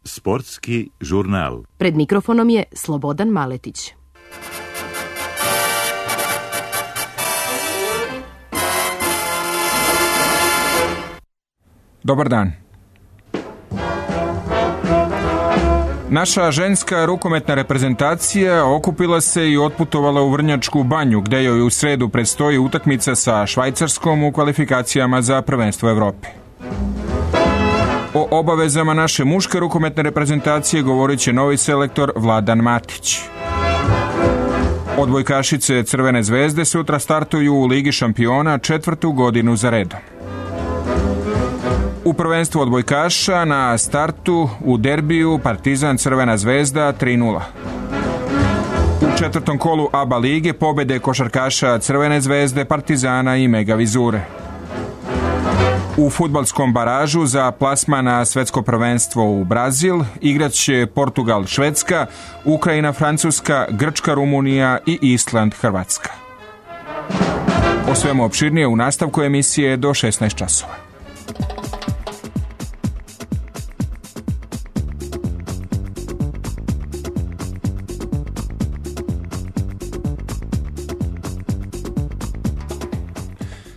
Sportski žurnal. Pred mikrofonom je Slobodan Maletić. Dobar dan. Naša ženska rukometna reprezentacija okupila se i otputovala u Vrnjačku Banju, gde joj u sredu predstoji utakmica sa Švajcarskom u kvalifikacijama za prvenstvo Evrope. O obavezama naše muške rukometne reprezentacije govorit će novi selektor Vladan Matić. Odbojkašice Crvene zvezde sutra startuju u Ligi šampiona 4. godinu za redom. U prvenstvu odbojkaša na startu u derbiju Partizan Crvena zvezda 3:0. U 4. kolu ABA lige pobede košarkaša Crvene zvezde, Partizana i Mega Vizure. U fudbalskom baražu za plasman na svetsko prvenstvo u Brazil igraće Portugal Švedska, Ukrajina Francuska, Grčka Rumunija i Island Hrvatska. O svemu opširnije u nastavku emisije do 16 časova.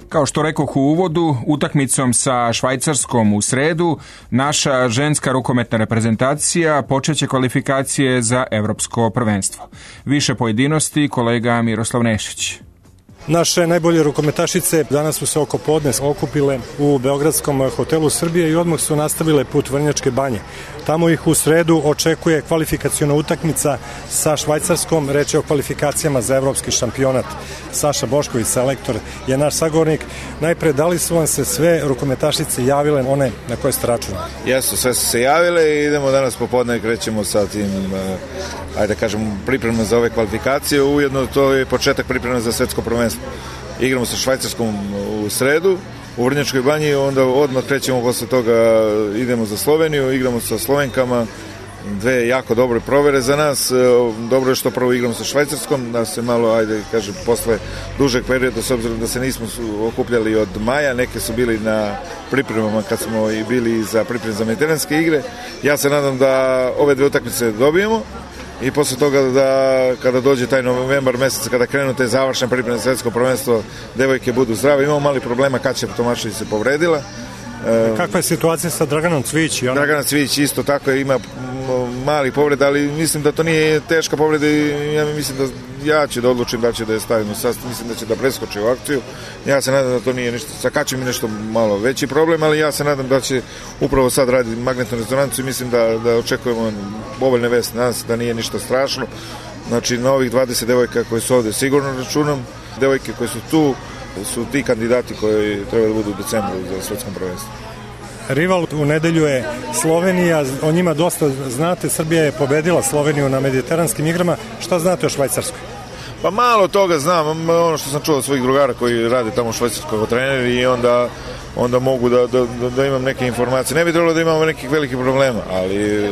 Kao što rekoh u uvodu, utakmicom sa Švajcarskom u sredu, naša ženska rukometna reprezentacija počeće kvalifikacije za evropsko prvenstvo. Više pojedinosti kolega Miroslav Nešić. Naše najbolje rukometašice danas su se oko podne okupile u Beogradskom hotelu Srbije i odmah su nastavile put Vrnjačke Banje. Tamo ih u sredu očekuje kvalifikaciona utakmica sa Švajcarskom, reč je o kvalifikacijama za evropski šampionat. Saša Bošković, selektor, je naš sagovornik. Najpre, da li su vam se sve rukometašice javile, one na koje ste računali? Jesu, sve su se javile i idemo danas popodne, krećemo sa tim, ajde kažem, pripremno za ove kvalifikacije. Ujedno to je početak pripremno za svetsko prvenstvo. Igramo sa Švajcarskom u sredu u Vrnjačkoj Banji, onda odmah krećemo posle toga, idemo za Sloveniju, igramo sa Slovenkama, dve jako dobre provere za nas. Dobro je što prvo igramo sa Švajcarskom, da se malo, ajde kažem, posle dužeg perioda, s obzirom da se nismo okupljali od maja, neke su bili na pripremama kad smo i bili za pripreme za mediteranske igre. Ja se nadam da ove dve utakmice dobijemo i posle toga da kada dođe taj novembar mesec, kada krenu te završne pripreme za svetsko prvenstvo, devojke budu zdrave. Imamo mali problema, Kaća Tomašević se povredila. Kakva je situacija sa Draganom Cvijić? Dragana Cvijić isto tako ima mali povred, ali mislim da to nije teška povreda i ja mislim da ja ću da odlučim da će da je stavimo sastav, mislim da će da preskoči u akciju. Ja se nadam da to nije ništa, sa Kaćem je nešto malo veći problem, ali ja se nadam da će upravo sad raditi magnetnu rezonancu i mislim da očekujemo povoljne vesti, nadam se da nije ništa strašno. Znači na ovih 20 devojka koje su ovde sigurno računam, devojke koje su tu su ti kandidati koji treba da budu u decembru za svetskom prvenstvu. Rival u nedelju je Slovenija, o njima dosta znate, Srbija je pobedila Sloveniju na mediteranskim igrama. Šta znate o Švajcarskoj? Pa malo toga znam, ono što sam čuo od svojih drugara koji rade tamo u Švajcarskoj kao treneri i onda mogu da imam neke informacije. Ne bi trebalo da imamo nekih velikih problema, ali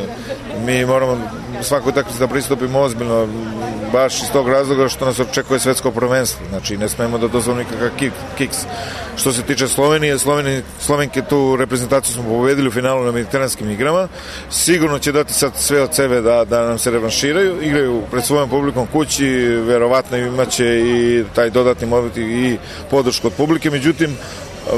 mi moramo svaku utakmicu da pristupimo ozbiljno, baš iz tog razloga što nas očekuje svetsko prvenstvo. Znači, ne smemo da dozvolimo nikakav kiks. Što se tiče Slovenije, Slovenke tu reprezentaciju smo pobedili u finalu na mediteranskim igrama. Sigurno će dati sad sve od sebe da nam se revanširaju. Igraju pred svojom publikom kući, verovatno imaće i taj dodatni moment i podršku od publike. Međutim,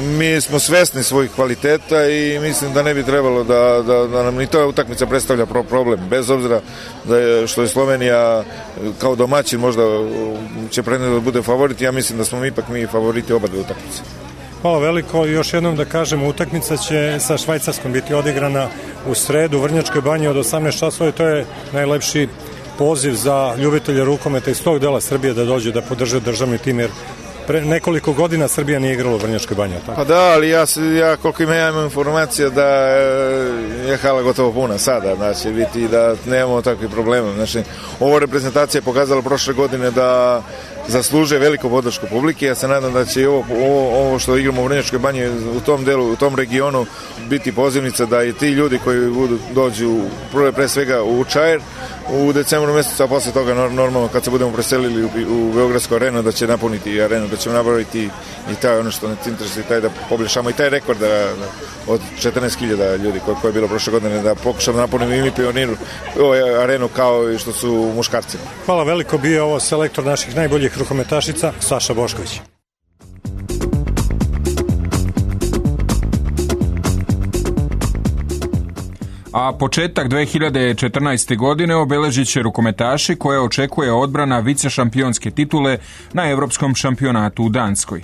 mi smo svesni svojih kvaliteta i mislim da ne bi trebalo da nam ni ta utakmica predstavlja problem. Bez obzira što je Slovenija kao domaćin možda će prednost da bude favorit, ja mislim da smo ipak mi favoriti oba dve utakmice. Hvala veliko. Još jednom da kažem, utakmica će sa Švajcarskom biti odigrana u sredu u Vrnjačkoj Banji od 18 časova i to je najlepši poziv za ljubitelje rukometa iz tog dela Srbije da dođu da podrže državni tim, jer pre nekoliko godina Srbija nije igrala u Vrnjačkoj Banji. Pa da, ali ja koliko imam informacija da je hala gotovo puna sada, znači biti da nemamo takvih problema. Znači, ova reprezentacija je pokazala prošle godine da zaslužuje veliku podršku publike. Ja se nadam da će i ovo što igramo u Vrnjačkoj banji u tom delu, u tom regionu biti pozivnica da i ti ljudi koji dođu pre svega u Čair u decembru mjesecu, a posle toga normalno kad se budemo preselili u Beogradsku arenu da će napuniti arenu, da ćemo napraviti i taj ono što nas interesuje, taj da poboljšamo i taj rekord od 14.000 ljudi koje je bilo prošle godine, da pokušamo da napunimo i mi Pioniru arenu kao i što su muškarci. Hvala veliko, bio je ovo selektor naših najboljih rukometašica Saša Bošković. A početak 2014. godine obeležit će rukometaši koje očekuje odbrana vicešampionske titule na Europskom šampionatu u Danskoj.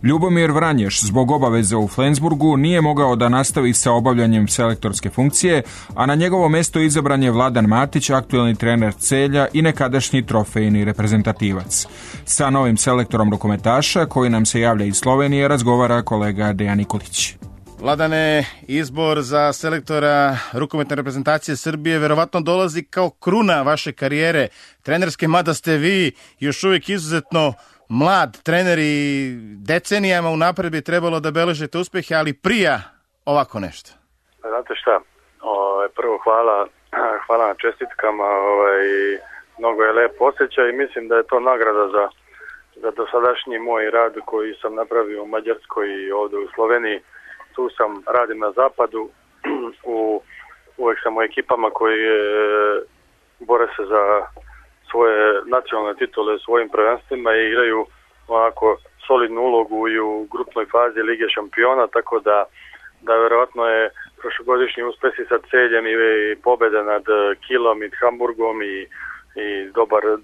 Ljubomir Vranješ zbog obaveze u Flensburgu nije mogao da nastavi sa obavljanjem selektorske funkcije, a na njegovo mesto izabran je Vladan Matić, aktuelni trener Celja i nekadašnji trofejni reprezentativac. Sa novim selektorom rukometaša, koji nam se javlja iz Slovenije, razgovara kolega Dejan Nikolić. Vladane, izbor za selektora rukometne reprezentacije Srbije verovatno dolazi kao kruna vaše karijere trenerske, mada ste vi još uvijek izuzetno mlad trener i decenijama unapred bi trebalo da beležete uspjehe, ali prija ovako nešto. Znate šta, prvo hvala na čestitkama, mnogo je lep osjećaj i mislim da je to nagrada za dosadašnji moj rad koji sam napravio u Mađarskoj i ovdje u Sloveniji. Tu sam, radim na zapadu, uvijek sam u ekipama koji bore se za svoje nacionalne titule u svojim prvenstvima i igraju onako solidnu ulogu i u grupnoj fazi Lige šampiona, tako da vjerojatno je prošlogodišnji uspjesi sa Celjem i pobjede nad Kilom i Hamburgom i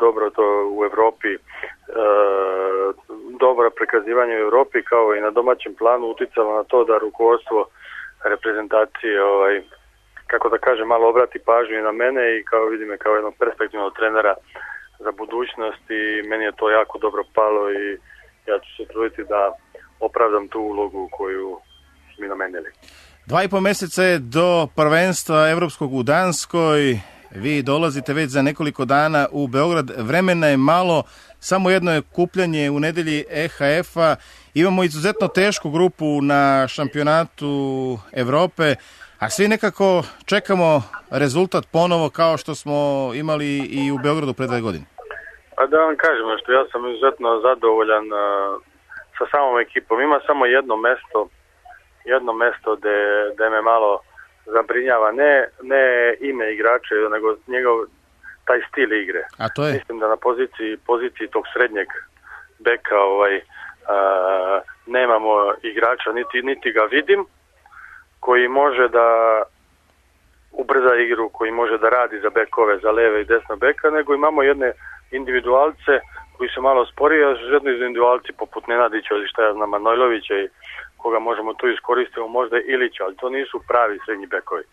dobro to u Evropi, dobro prikazivanje u Evropi kao i na domaćem planu uticalo na to da rukovodstvo reprezentacije, kako da kažem, malo obrati pažnju i na mene i kao vidim me kao jednog perspektivnog trenera za budućnost i meni je to jako dobro palo i ja ću se truditi da opravdam tu ulogu koju mi namenili. 2,5 mjeseca je do prvenstva evropskog u Danskoj. Vi dolazite već za nekoliko dana u Beograd. Vremena je malo, samo jedno je kupljanje u nedelji EHF-a. Imamo izuzetno tešku grupu na šampionatu Evrope, a svi nekako čekamo rezultat ponovo kao što smo imali i u Beogradu pre 2 godine. Pa da vam kažem što ja sam izuzetno zadovoljan sa samom ekipom. Ima samo jedno mesto gde me malo zabrinjava, ne ime igrača, nego njegov taj stil igre. A to je? Mislim da na poziciji tog srednjeg beka nemamo igrača, niti ga vidim, koji može da ubrza igru, koji može da radi za bekove, za leve i desna beka, nego imamo jedne individualce koji su malo sporiji, a jedni individualci poput Nenadića ili šta ja znam, Manojlovića i koga možemo tu iskoristiti, možda Ilića, ali to nisu pravi srednji bekovi.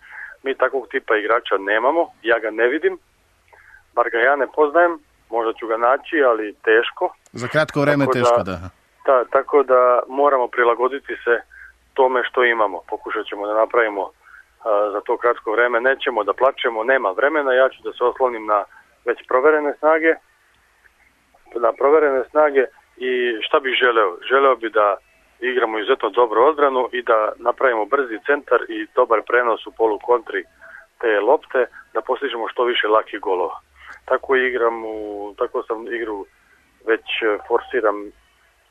Mi takvog tipa igrača nemamo, ja ga ne vidim, bar ga ja ne poznajem, možda ću ga naći, ali teško. Za kratko vreme teško, da. Tako da moramo prilagoditi se tome što imamo. Pokušat ćemo da napravimo za to kratko vreme, nećemo da plačemo, nema vremena, ja ću da se oslonim na već proverene snage, i šta bih želeo? Želeo bi da igramo izuzetno dobro odbranu i da napravimo brzi centar i dobar prenos u polu kontri te lopte, da postižemo što više lakih golova. Tako sam igru već forsiram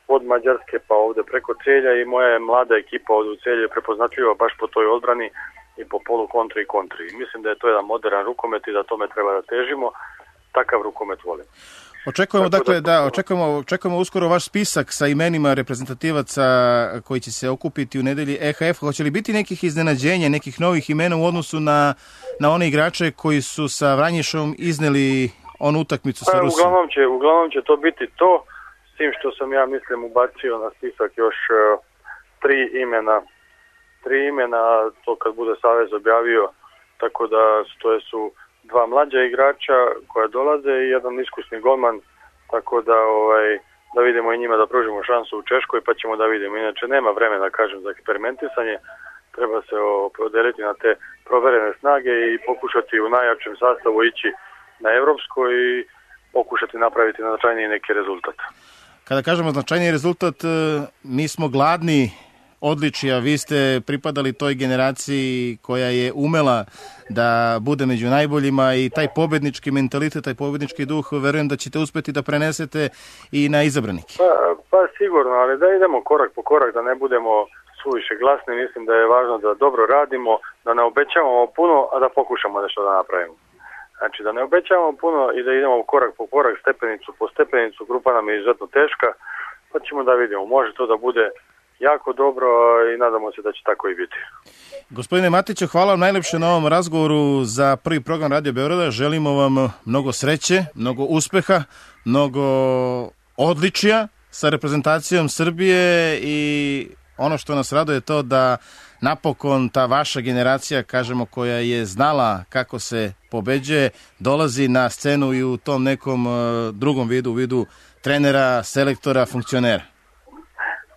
od Mađarske pa ovdje preko Celja i moja je mlada ekipa ovdje u Celju je prepoznatljiva baš po toj odbrani i po polu kontri i kontri. Mislim da je to jedan modern rukomet i da tome treba da težimo. Takav rukomet volim. Očekujemo uskoro vaš spisak sa imenima reprezentativaca koji će se okupiti u nedelji EHF. Hoće li biti nekih iznenađenja, nekih novih imena u odnosu na one igrače koji su sa Vranješom izneli onu utakmicu sa Rusijom? Uglavnom će to biti to, s tim što sam ja mislim ubacio na spisak još 3 imena, to kad bude Savez objavio, tako da to su 2 mlađa igrača koja dolaze i jedan iskusni golman, tako da vidimo i njima da pružimo šansu u Češkoj, pa ćemo da vidimo. Inače nema vremena, kažem, za eksperimentisanje, treba se opredeliti na te proverene snage i pokušati u najjačem sastavu ići na Evropsko i pokušati napraviti značajniji neki rezultat. Kada kažemo značajniji rezultat, mi smo gladni odličija, vi ste pripadali toj generaciji koja je umela da bude među najboljima i taj pobednički mentalitet, taj pobednički duh, verujem da ćete uspeti da prenesete i na izabranike. Pa sigurno, ali da idemo korak po korak, da ne budemo suviše glasni, mislim da je važno da dobro radimo, da ne obećavamo puno, a da pokušamo nešto da napravimo. Znači da ne obećavamo puno i da idemo korak po korak, stepenicu po stepenicu, grupa nam je izuzetno teška, pa ćemo da vidimo, može to da bude jako dobro i nadamo se da će tako i biti. Gospodine Matiću, hvala vam najlepše na ovom razgovoru za prvi program Radio Beograda. Želimo vam mnogo sreće, mnogo uspeha, mnogo odličija sa reprezentacijom Srbije i ono što nas raduje je to da napokon ta vaša generacija, kažemo, koja je znala kako se pobeđuje, dolazi na scenu i u tom nekom drugom vidu, u vidu trenera, selektora, funkcionera.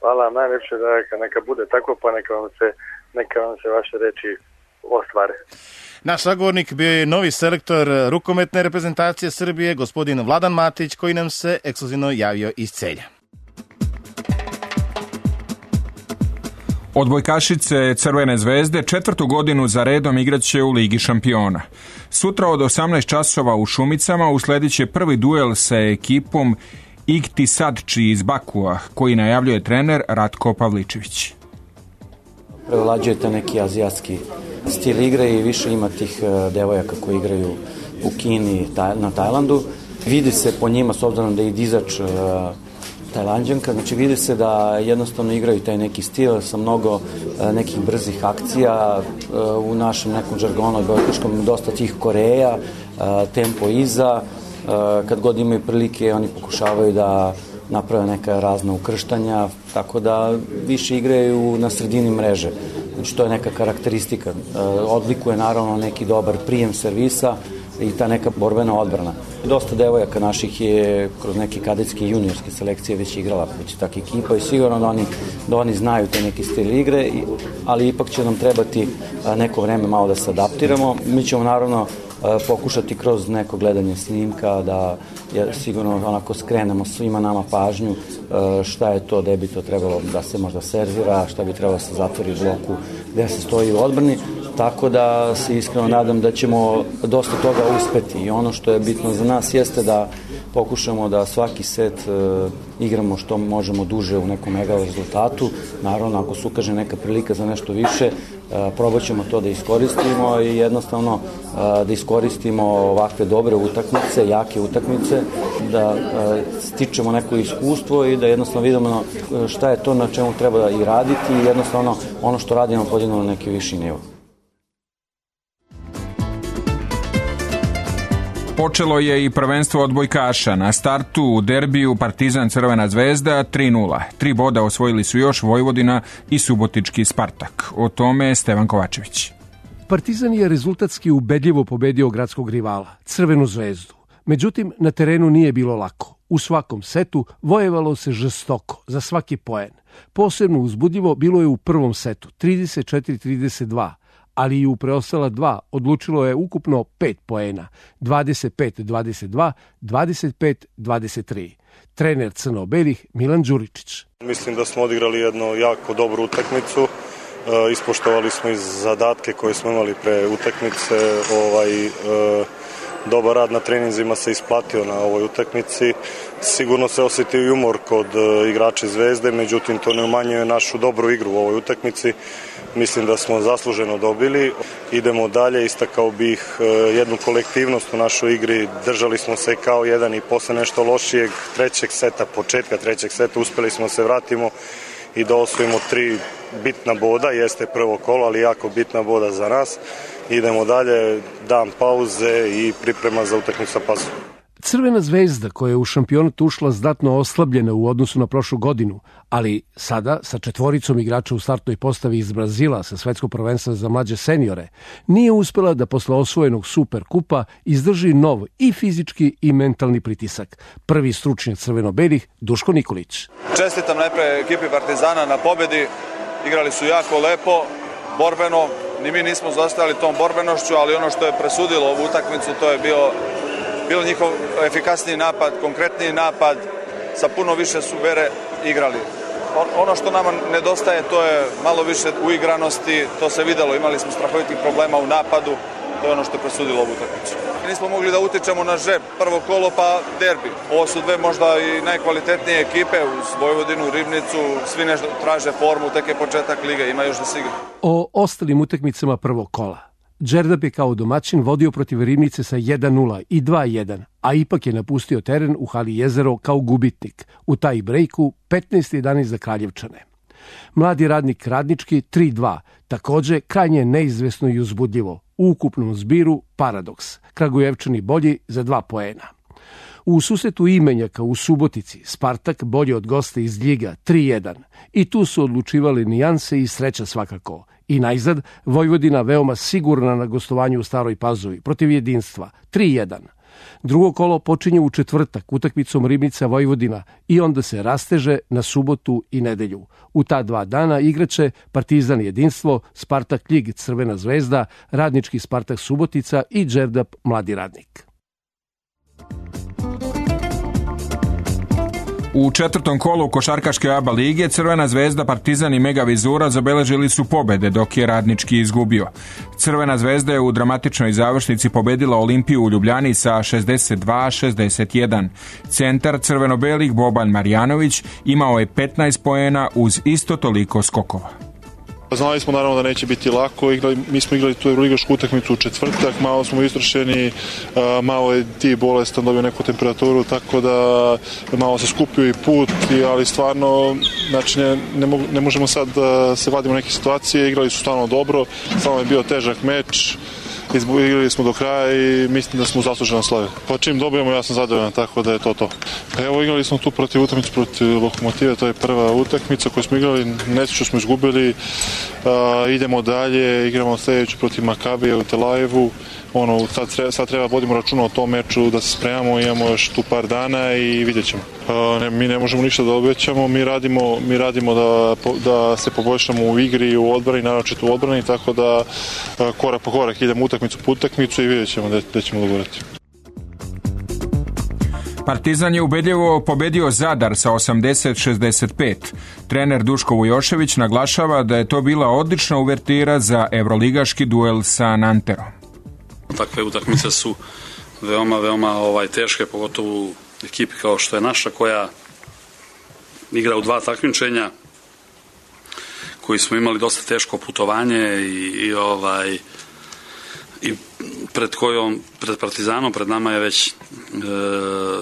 Hvala vam najlepše, da neka bude tako, pa neka vam se vaše reči ostvare. Naš sagovornik bio je novi selektor rukometne reprezentacije Srbije, gospodin Vladan Matić, koji nam se ekskluzivno javio iz Celja. Odbojkašice Crvene zvezde 4. godinu za redom igraće u Ligi šampiona. Sutra od 18 časova u Šumicama usledit će prvi duel sa ekipom Iktisadči iz Bakua, koji najavljuje trener Ratko Pavličević. Prevlađujete neki azijatski stil igre i više ima tih devojaka koji igraju u Kini, na Tajlandu. Vidi se po njima, s obzirom da je dizač Tajlanđanka, znači vidi se da jednostavno igraju taj neki stil sa mnogo nekih brzih akcija, u našem nekom žargonu odbojkaškom dosta tih Koreja, tempo iza, kad god imaju prilike oni pokušavaju da naprave neka razna ukrštanja, tako da više igraju na sredini mreže. Znači to je neka karakteristika. Odlikuje naravno neki dobar prijem servisa i ta neka borbena odbrana. Dosta devojaka naših je kroz neke kadetske i juniorske selekcije već igrala protiv takve ekipa i sigurno da oni znaju te neki stil igre, ali ipak će nam trebati neko vreme malo da se adaptiramo. Mi ćemo naravno pokušati kroz neko gledanje snimka da sigurno onako skrenemo svima nama pažnju šta je to, gde bi to trebalo da se možda servira, šta bi trebalo da se zatvori u bloku, gde se stoji u odbrani, tako da se iskreno nadam da ćemo dosta toga uspeti i ono što je bitno za nas jeste da pokušamo da svaki set igramo što možemo duže u nekom mega rezultatu. Naravno, ako se ukaže neka prilika za nešto više, probat ćemo to da iskoristimo i jednostavno da iskoristimo ovakve dobre utakmice, jake utakmice, da stičemo neko iskustvo i da jednostavno vidimo šta je to na čemu treba i raditi i jednostavno ono što radimo podignemo na neki viši nivo. Počelo je i prvenstvo odbojkaša. Na startu u derbiju Partizan Crvena zvezda 3:0. 3 boda osvojili su još Vojvodina i subotički Spartak. O tome Stevan Kovačević. Partizan je rezultatski ubedljivo pobedio gradskog rivala, Crvenu zvezdu. Međutim, na terenu nije bilo lako. U svakom setu vojevalo se žestoko, za svaki poen. Posebno uzbudljivo bilo je u prvom setu, 34-32. Ali i u preostala 2 odlučilo je ukupno 5 poena, 25-22, 25-23. Trener crno-belih Milan Đuričić. Mislim da smo odigrali jednu jako dobru utakmicu, ispoštovali smo i zadatke koje smo imali pre utakmice, dobar rad na treninzima se isplatio na ovoj utakmici. Sigurno se osjetio i umor kod igrača Zvezde, međutim to ne umanjuje našu dobru igru u ovoj utakmici. Mislim da smo zasluženo dobili. Idemo dalje, istakao bih jednu kolektivnost u našoj igri. Držali smo se kao jedan i posle nešto lošijeg početka trećeg seta uspeli smo se vratimo i da osvojimo 3 bitna boda. Jeste prvo kolo, ali jako bitna boda za nas. Idemo dalje, dan pauze i priprema za utakmicu sa Pasom. Crvena zvezda, koja je u šampionatu ušla znatno oslabljena u odnosu na prošlu godinu, ali sada sa 4 igrača u startnoj postavi iz Brazila sa svetskog prvenstva za mlađe seniore, nije uspela da posle osvojenog Super kupa izdrži nov i fizički i mentalni pritisak. Prvi stručnjak crveno-belih, Duško Nikolić. Čestitam najpre ekipi Partizana na pobedi, igrali su jako lepo, borbeno, ni mi nismo zaostajali tom borbenošću, ali ono što je presudilo ovu utakmicu to je bio bilo njihov efikasniji napad, konkretniji napad, sa puno više subere igrali. Ono što nama nedostaje, to je malo više uigranosti, to se videlo, imali smo strahovitih problema u napadu, to je ono što je presudilo ovu utakmicu. Nismo mogli da utičemo na žreb, prvo kolo pa derbi. Ovo su dve možda i najkvalitetnije ekipe uz Vojvodinu, Ribnicu, svi nešto traže formu, tek je početak lige, ima još da se igra. O ostalim utakmicama prvog kola. Đerdap je kao domaćin vodio protiv Ribnice sa 1-0 i 2-1, a ipak je napustio teren u hali Jezero kao gubitnik, u taj brejku 15-11 za Kraljevčane. Mladi radnik Radnički 3-2, takođe krajnje neizvesno i uzbudljivo. U ukupnom zbiru paradoks, Kragujevčani bolji za 2 poena. U susretu imenjaka u Subotici Spartak bolje od gosta iz Ljiga 3-1 i tu su odlučivali nijanse i sreća svakako. I najzad Vojvodina veoma sigurna na gostovanju u Staroj Pazovi protiv Jedinstva 3-1. Drugo kolo počinje u četvrtak utakmicom Ribnica Vojvodina i onda se rasteže na subotu i nedelju. U ta 2 dana igraće Partizan Jedinstvo, Spartak Ljig Crvena zvezda, Radnički Spartak Subotica i Đerdap Mladi radnik. U četvrtom kolu košarkaške ABA lige Crvena zvezda, Partizan i Mega Vizura zabeležili su pobede, dok je Radnički izgubio. Crvena zvezda je u dramatičnoj završnici pobedila Olimpiju u Ljubljani sa 62-61. Centar crveno-belih Boban Marjanović imao je 15 poena uz isto toliko skokova. Znali smo naravno da neće biti lako, mi smo igrali tu evroligašku utakmicu u četvrtak, malo smo istrošeni, malo je ti bolestan, dobio neku temperaturu, tako da malo se skupio i put, ali stvarno znači ne možemo sad da se vadimo neke situacije, igrali su stvarno dobro, stvarno je bio težak meč, igrali smo do kraja i mislim da smo zasluženo slave. Pa čim dobijemo ja sam zadovoljan, tako da je to. Pa evo igrali smo tu utakmicu protiv Lokomotive, to je prva utakmica koju smo igrali, nesreću smo izgubili, idemo dalje, igramo sljedeću protiv Makabija u Tel Avivu. Sad treba vodimo računa o tom meču, da se spremamo, imamo još tu par dana i vidjet ćemo. Mi ne možemo ništa da obećamo, mi radimo da se poboljšamo u igri i u odbrani, naročito u odbrani, tako da korak po korak idemo utakmicu po utakmicu i vidjet ćemo gde ćemo dogurati. Partizan je ubedljivo pobedio Zadar sa 80-65. Trener Duško Vujošević naglašava da je to bila odlična uvertira za evroligaški duel sa Nanterom. Takve utakmice su veoma teške, pogotovo u ekipi kao što je naša, koja igra u 2 takmičenja, koji smo imali dosta teško putovanje i pred Partizanom, pred nama je već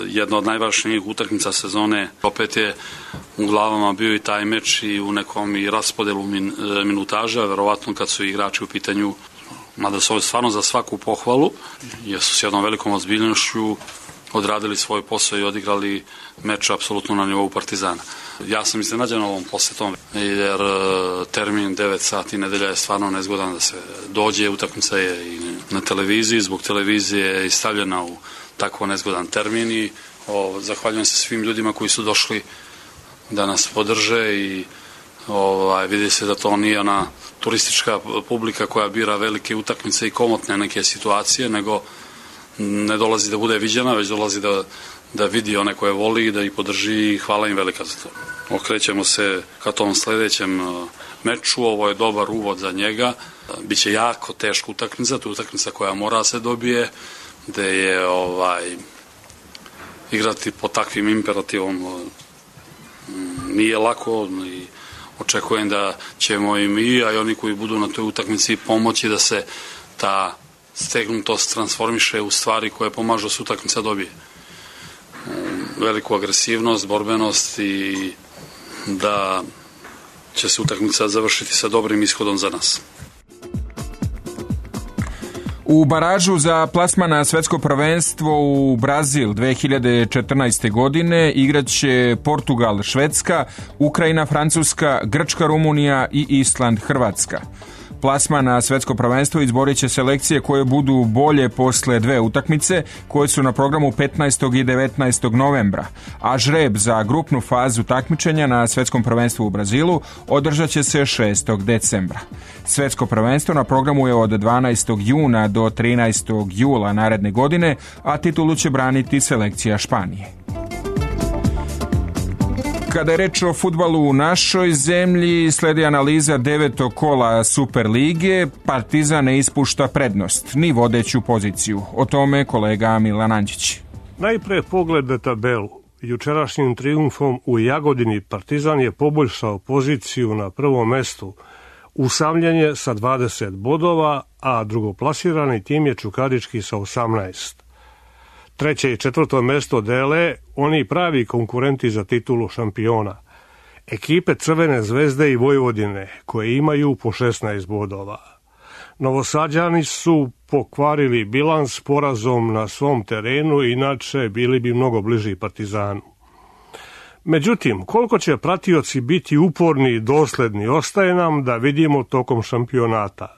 jedna od najvažnijih utakmica sezone. Opet je u glavama bio i taj meč i u nekom i raspodelu minutaža, verovatno kad su igrači u pitanju, mada su ovo stvarno za svaku pohvalu, jer su s jednom velikom ozbiljnošću odradili svoj posao i odigrali meč apsolutno na nivou Partizana. Ja sam iznenađen ovom posetom, jer termin 9 sati nedelja je stvarno nezgodan da se dođe, utakmica je i na televiziji, zbog televizije je i stavljena u tako nezgodan termin i zahvaljujem se svim ljudima koji su došli da nas podrže i vidi se da to nije ona turistička publika koja bira velike utakmice i komotne neke situacije, nego ne dolazi da bude viđena, već dolazi da vidi one koje voli i da ih podrži i hvala im velika za to. Okrećemo se ka tom sledećem meču, ovo je dobar uvod za njega, biće jako teška utakmica, to je utakmica koja mora se dobije, gde je igrati pod takvim imperativom nije lako i očekujem da ćemo i mi, a i oni koji budu na toj utakmici pomoći da se ta stegnutost transformiše u stvari koje pomažu da se utakmica dobije. Veliku agresivnost, borbenost i da će se utakmica završiti sa dobrim ishodom za nas. U baražu za plasman na svetsko prvenstvo u Brazil 2014. godine igraće Portugal, Švedska, Ukrajina, Francuska, Grčka, Rumunija i Island, Hrvatska. Plasman na svetsko prvenstvo izborit će selekcije koje budu bolje posle 2 utakmice koje su na programu 15. i 19. novembra, a žreb za grupnu fazu takmičenja na svetskom prvenstvu u Brazilu održat će se 6. decembra. Svetsko prvenstvo na programu je od 12. juna do 13. jula naredne godine, a titulu će braniti selekcija Španije. Kada je reč o fudbalu u našoj zemlji, sledi analiza 9. kola Superlige. Partizan ne ispušta prednost, ni vodeću poziciju. O tome kolega Milan Anđić. Najpre pogled na tabelu. Jučerašnjim triumfom u Jagodini Partizan je poboljšao poziciju na prvom mestu. Usamljen je sa 20 bodova, a drugoplasirani tim je Čukarički sa 18. Treće i četvrto mesto dele oni pravi konkurenti za titulu šampiona. Ekipe Crvene zvezde i Vojvodine, koje imaju po 16 bodova. Novosađani su pokvarili bilans porazom na svom terenu, inače bili bi mnogo bliži Partizanu. Međutim, koliko će pratioci biti uporni i dosledni, ostaje nam da vidimo tokom šampionata.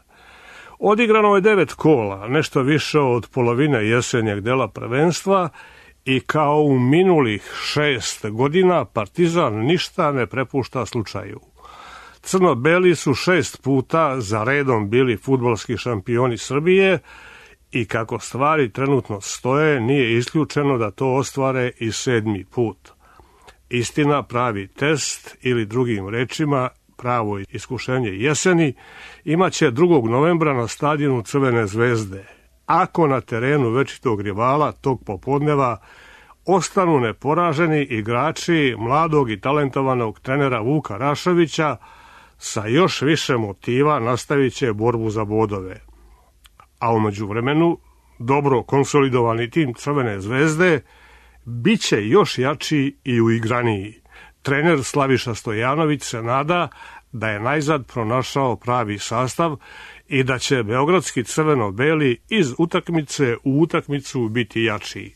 Odigrano je 9 kola, nešto više od polovine jesenjeg dela prvenstva i kao u minulih 6 godina Partizan ništa ne prepušta slučaju. Crno-beli su 6 puta za redom bili fudbalski šampioni Srbije i kako stvari trenutno stoje, nije isključeno da to ostvare i 7. put. Istina, pravi test ili drugim rečima pravo iskušenje jeseni imaće 2. novembra na stadionu Crvene zvezde. Ako na terenu večitog rivala tog popodneva ostanu neporaženi igrači mladog i talentovanog trenera Vuka Rašovića, sa još više motiva nastavit će borbu za bodove. A u međuvremenu dobro konsolidovani tim Crvene zvezde biće još jači i uigraniji. Trener Slaviša Stojanović se nada da je najzad pronašao pravi sastav i da će beogradski crveno-beli iz utakmice u utakmicu biti jači.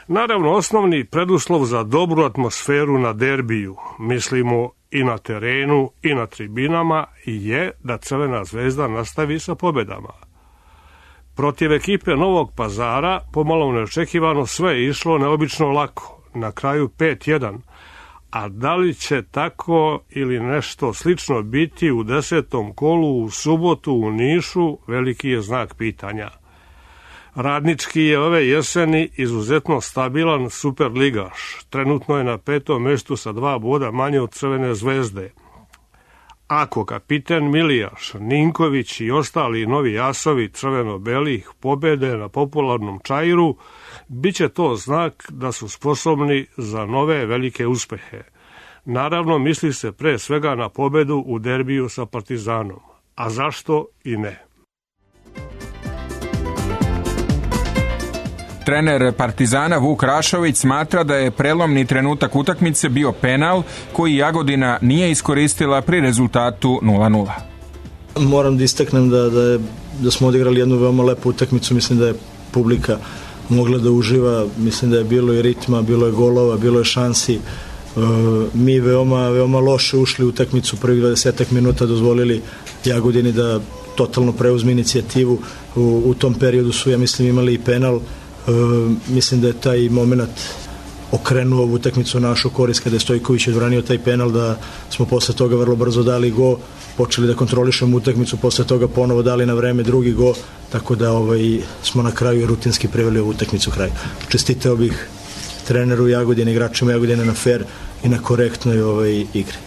Naravno, osnovni preduslov za dobru atmosferu na derbiju, mislimo i na terenu i na tribinama, je da Crvena zvezda nastavi sa pobedama. Protiv ekipe Novog Pazara pomalo neočekivano sve je išlo neobično lako, na kraju 5-1, a da li će tako ili nešto slično biti u 10. kolu u subotu u Nišu, veliki je znak pitanja. Radnički je ove jeseni izuzetno stabilan superligaš, trenutno je na 5. mestu sa 2 boda manje od Crvene zvezde. Ako kapiten Milijaš, Ninković i ostali novi asovi crveno-belih pobede na popularnom Čairu, bit će to znak da su sposobni za nove velike uspehe. Naravno, misli se pre svega na pobedu u derbiju sa Partizanom. A zašto i ne? Trener Partizana Vuk Rašović smatra da je prelomni trenutak utakmice bio penal koji Jagodina nije iskoristila pri rezultatu 0:0. Moram da istaknem da smo odigrali jednu veoma lepu utakmicu, mislim da je publika mogla da uživa, mislim da je bilo i ritma, bilo je golova, bilo je šansi. Mi veoma loše ušli u utakmicu, prvih 20 minuta dozvolili Jagodini da totalno preuzme inicijativu. U tom periodu su, ja mislim, imali i penal. Mislim da je taj moment okrenuo ovu utakmicu našu korist kada je Stojković odbranio taj penal, da smo posle toga vrlo brzo dali go, počeli da kontrolišemo utakmicu, posle toga ponovo dali na vreme drugi go, tako da smo na kraju rutinski preveli ovu utakmicu kraju. Čestitao bih treneru Jagodine, igračima Jagodine na fair i na korektnoj igri.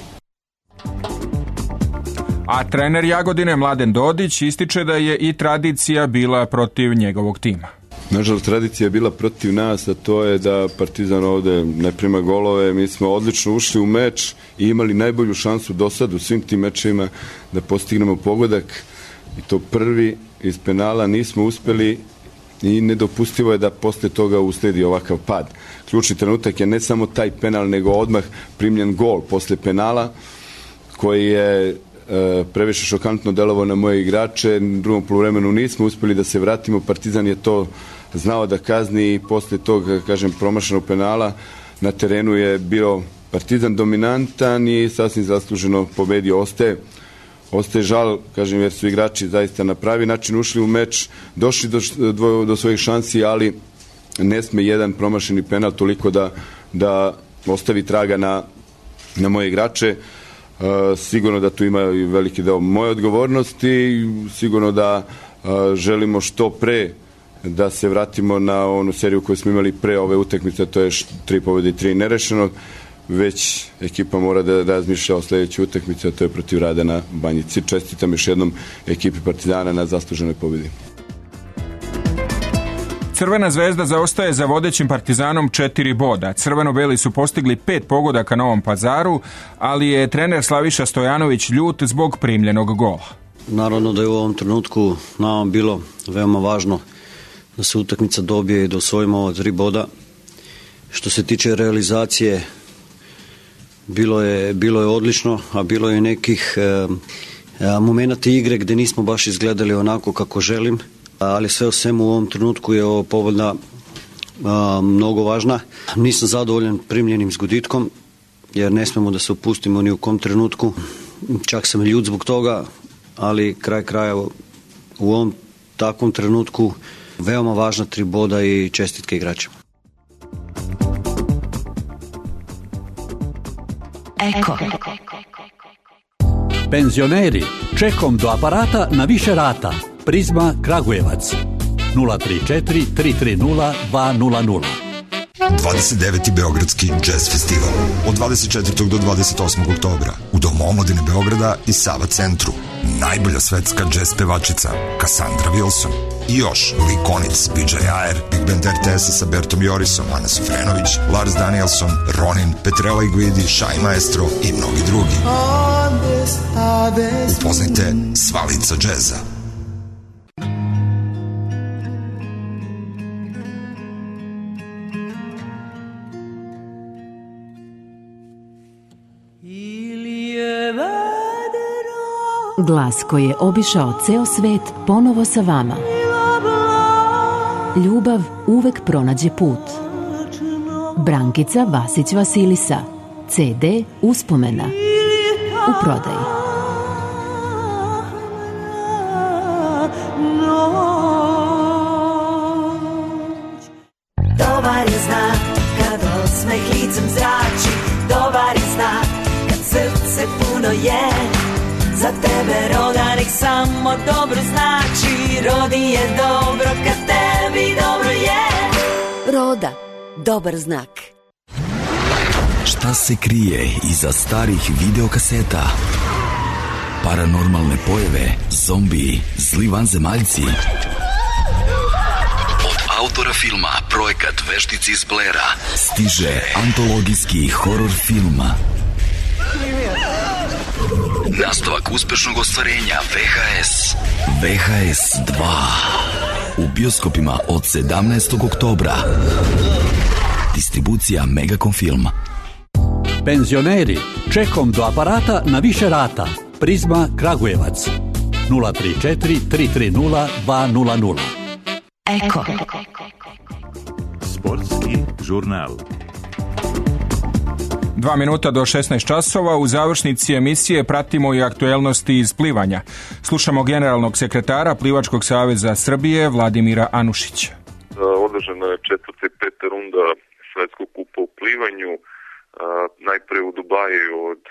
A trener Jagodine Mladen Dodić ističe da je i tradicija bila protiv njegovog tima. Nažalost, tradicija je bila protiv nas, a to je da Partizan ovde ne prima golove. Mi smo odlično ušli u meč i imali najbolju šansu do sad u svim tim mečevima da postignemo pogodak, i to prvi iz penala. Nismo uspeli i nedopustivo je da posle toga usledi ovakav pad. Ključni trenutak je ne samo taj penal, nego odmah primljen gol posle penala koji je previše šokantno delovao na moje igrače. U drugom poluvremenu nismo uspeli da se vratimo. Partizan je to znao da kazni i posle tog, promašenog penala na terenu je bio Partizan dominantan i sasvim zasluženo pobedio. Ostaje ostaje žal, kažem, jer su igrači zaista na pravi način ušli u meč, došli do svojih šansi, ali ne sme jedan promašeni penal toliko da ostavi traga na moje igrače. Sigurno da tu ima i veliki deo moje odgovornosti i sigurno da želimo što pre da se vratimo na onu seriju koju smo imali pre ove utakmice, to je 3 pobjede i 3 nerešenog, već ekipa mora da razmišlja o sledećoj utakmici, a to je protiv Rada na Banjici. Čestitam još jednom ekipi Partizana na zasluženoj pobjedi. Crvena zvezda zaostaje za vodećim Partizanom 4 boda. Crveno-beli su postigli 5 pogodaka na Novom Pazaru, ali je trener Slaviša Stojanović ljut zbog primljenog gola. Naravno da je u ovom trenutku nama bilo veoma važno da se utakmica dobije i da osvojimo ova 3 boda. Što se tiče realizacije, bilo je odlično, a bilo je nekih momenata igre gde nismo baš izgledali onako kako želim, ali sve u svemu u ovom trenutku je ovo pobeda mnogo važna. Nisam zadovoljan primljenim zgoditkom, jer ne smemo da se opustimo ni u kom trenutku. Čak sam ljut zbog toga, ali kraj kraja u ovom takvom trenutku veoma važna 3 boda i čestitke igračima. Eko. Penzioneri, čekom do aparata na više rata. Prizma Kragujevac 034 330 200. 29. Beogradski jazz festival od 24. do 28. oktobra u Domu omladine Beograda i Sava centru. Najbolja svetska jazz pevačica Cassandra Wilson i još Lee Konitz, PJ Ayer, Big Band RTS sa Bertom Jorisom, Ana Sufrenović, Lars Danielson, Ronin, Petrella i Guidi, Shai Maestro i mnogi drugi. Upoznajte sva lica džeza. Glas koji je obišao ceo svet ponovo sa vama. Ljubav uvek pronađe put. Brankica Vasić Vasilisa. CD Uspomena. U prodaji. Dobar je znak kad osmeh licem zrači. Dobar je znak kad srce puno je. Za tebe roda nek samo dobro znači. Rodi je dobro kad tebi dobro je. Roda, dobar znak. Šta se krije iza starih videokaseta? Paranormalne pojave, zombiji, zli vanzemaljci. Od autora filma Projekat Veštici iz Blera stiže antologijski horor film. Nastavak uspešnog ostvarenja VHS. VHS 2. U bioskopima od 17. oktobra. Distribucija Megacom Film. Penzioneri, čekom do aparata na više rata. Prizma Kragujevac 034 330 200. Eko. Sportski žurnal. 2 minuta do 16 časova. U završnici emisije pratimo i aktuelnosti iz plivanja. Slušamo generalnog sekretara Plivačkog saveza Srbije Vladimira Anušića. Održana je 4. i 5. runda Svetskog kupa u plivanju. Najpre u Dubaji od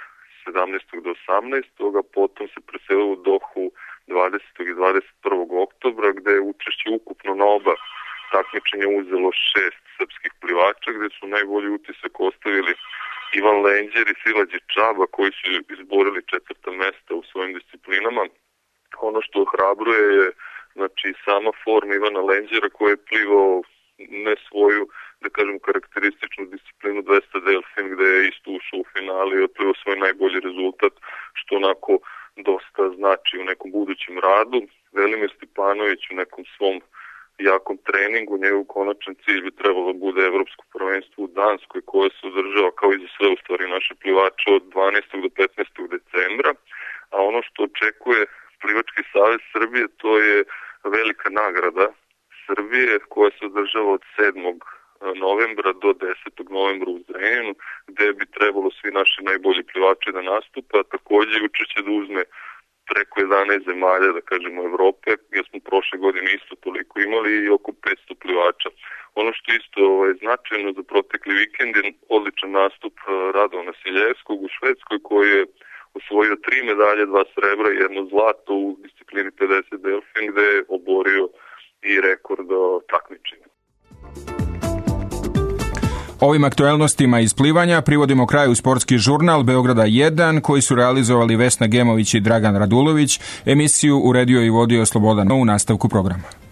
17. do 18. a potom se preselilo u Dohu 20. i 21. oktobra, gde je učešće ukupno na oba takmičenja uzelo 6 srpskih plivača, gde su najbolji utisak ostavili Ivan Lenđer i Silađe Čaba, koji su izborili 4. mesta u svojim disciplinama. Ono što ohrabruje je sama forma Ivana Lenđera, koji je plivao ne svoju, da kažem, karakterističnu disciplinu 200 delfin, gde je isto ušao u finali i otplivao svoj najbolji rezultat, što onako dosta znači u nekom budućem radu. Velimir Stipanović u nekom svom jakom treningu, njegov konačan cilj bi trebalo da bude evropsko prvenstvo u Danskoj, koje se održava kao i za sve u stvari naše plivače od 12. do 15. decembra, a ono što očekuje Plivački savez Srbije, to je velika nagrada Srbije koja se održava od 7. novembra do 10. novembra u Zrenjaninu, gde bi trebalo svi naši najbolji plivači da nastupe, a takođe učešće da uzme preko 11 zemalja, da kažemo, Evrope, jer smo prošle godine isto toliko imali i oko 500 plivača. Ono što isto značajno za protekli vikend je odličan nastup Radovana Siljevskog u Švedskoj, koji je osvojio 3 medalje, 2 srebra i 1 zlato u disciplini 50 delfin, gde je oborio i rekord takmičenja. Ovim aktuelnostima iz plivanja privodimo kraju sportski žurnal Beograda 1 koji su realizovali Vesna Gemović i Dragan Radulović. Emisiju uredio i vodio Slobodan u nastavku programa.